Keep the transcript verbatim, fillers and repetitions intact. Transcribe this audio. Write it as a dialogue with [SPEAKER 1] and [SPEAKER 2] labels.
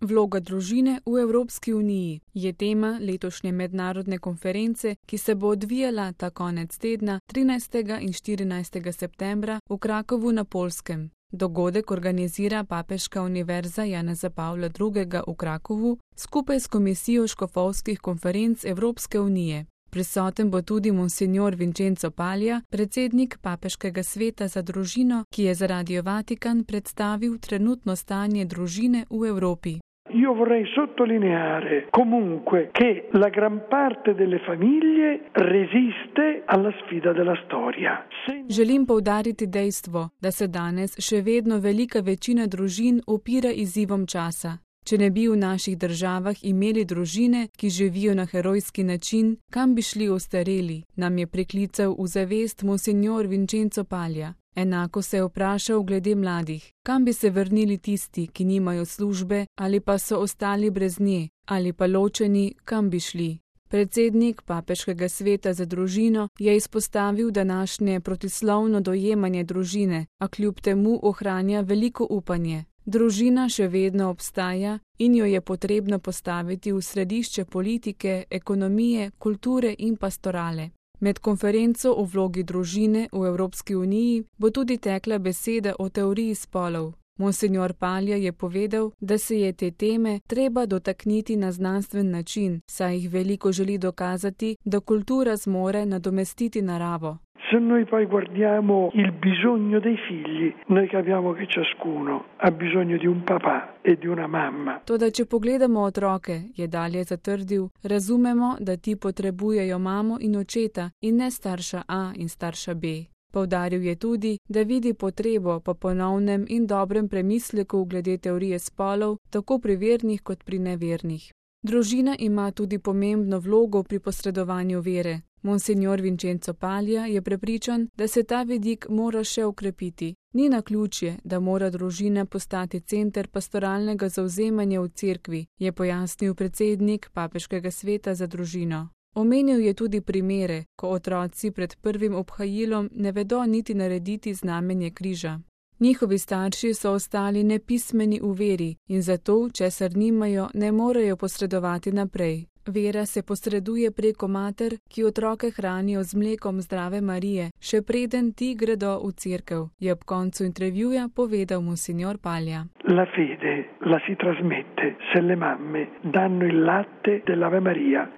[SPEAKER 1] Vloga družine v Evropski uniji je tema letošnje mednarodne konference, ki se bo odvijala ta konec tedna trinajstega in štirinajstega septembra v Krakovu na Poljskem. Dogodek organizira Papeška univerza Janeza Pavla drugega v Krakovu skupaj s Komisijo škofovskih konferenc Evropske unije. Prisoten bo tudi monsignor Vincenzo Paglia, predsednik Papeškega sveta za družino, ki je za Radio Vatikan predstavil trenutno stanje družine v Evropi.
[SPEAKER 2] Io vorrei sottolineare comunque che la gran parte delle famiglie resiste alla sfida della storia.
[SPEAKER 1] Želim poudariti dejstvo, da se danes še vedno velika večina družin upira izzivom časa. Če ne bi v naših državah imeli družine, ki živijo na herojski način, kam bi šli ostareli, nam je priklical v zavest monsignor Vincenzo Paglia. Enako se je vprašal glede mladih, kam bi se vrnili tisti, ki nimajo službe ali pa so ostali brez nje, ali pa ločeni, kam bi šli. Predsednik Papeškega sveta za družino je izpostavil današnje protislovno dojemanje družine, a kljub temu ohranja veliko upanje. Družina še vedno obstaja in jo je potrebno postaviti v središče politike, ekonomije, kulture in pastorale. Med konferenco o vlogi družine v Evropski uniji bo tudi tekla beseda o teoriji spolov. Monsignor Paglia je povedal, da se je te teme treba dotakniti na znanstven način, saj jih veliko želi dokazati, da kultura zmore nadomestiti naravo.
[SPEAKER 2] Se noi poi guardiamo il bisogno dei figli, noi capiamo che ciascuno ha bisogno di un papà e di una mamma.
[SPEAKER 1] Toda če pogledamo otroke, je dalje zatrdil, razumemo, da ti potrebujejo mamo in očeta in ne starša A in starša B. Poudaril je tudi, da vidi potrebo po ponovnem in dobrem premisleku glede teorije spolov, tako pri vernih kot pri nevernih. Družina ima tudi pomembno vlogo pri posredovanju vere. Monsignor Vincenzo Paglia je prepričan, da se ta vidik mora še okrepiti. Ni naključje, da mora družina postati center pastoralnega zavzemanja v cerkvi, je pojasnil predsednik Papeškega sveta za družino. Omenil je tudi primere, ko otroci pred prvim obhajilom ne vedo niti narediti znamenje križa. Njihovi starši so ostali nepismeni v veri in zato, česar nimajo, ne morejo posredovati naprej. Vera se posreduje preko mater, ki otroke hranijo z mlekom zdrave Marije, še preden ti gredo v cerkev, je ob koncu intervjuja povedal monsignor Paglia.
[SPEAKER 2] La fede la si trasmette se le mamme danno il latte dell'Ave Maria